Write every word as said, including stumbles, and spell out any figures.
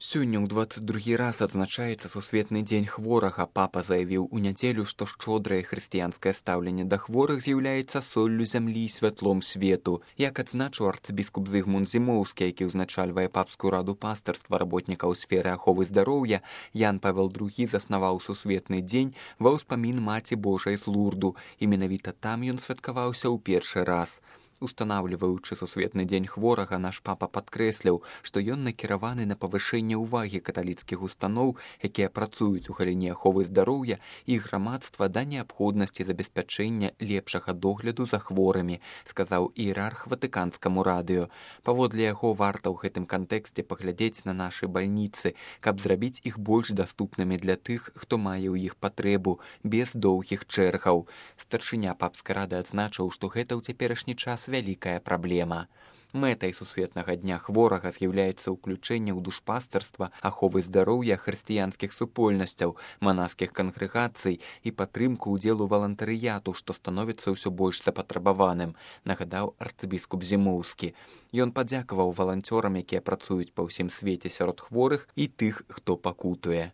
Сёння ў дваццаць другі раз адзначаецца сусветны дзень хворага. Папа заявіў у нядзелю, што шчодрае хрысціянскае стаўленне да хворых з'яўляецца соллю зямлі і святлом свету. Як адзначыў арцыбіскуп Зыгмунд Зімоўскі, які ўзначальвае папскую раду пастырства работнікаў сферы аховы здароўя, Ян Павел другі заснаваў сусветны дзень ва ўспамін Маці Божай з Лурду, і менавіта там ён святкаваўся ў першы раз. Устанаўліваючы сусветны дзень хворага, наш папа падкрэсліў, што ён накіраваны на павышэнне ўвагі каталіцкіх устаноў, якія працуюць у галіне аховы здароўя, і грамадства да неабходнасці забеспячэння лепшага догляду за хворымі, сказаў іерарх ватыканскаму радыё. Паводле яго, варта ў гэтым кантэксце паглядзець на нашы бальніцы, каб зрабіць іх больш даступнымі для тых, хто мае ў іх патрэбу, без доўгіх чэргаў. Старшыня папскай рады адзначыў, што гэта ў цяперашні час вялікая праблема. Мэтай сусветнага дня хворага з'яўляецца ўключэнне ў душпастырства, аховы здароўя хрысціянскіх супольнасцяў, манаскіх кангрэгацый і падтрымку ўдзелу валантарыяту, што становіцца ўсё больш запатрабаваным, нагадаў арцыбіскуп Зімоўскі. Ён падзякаваў валанцёрам, якія працуюць па ўсім свеце сярод хворых, і тых, хто пакутуе.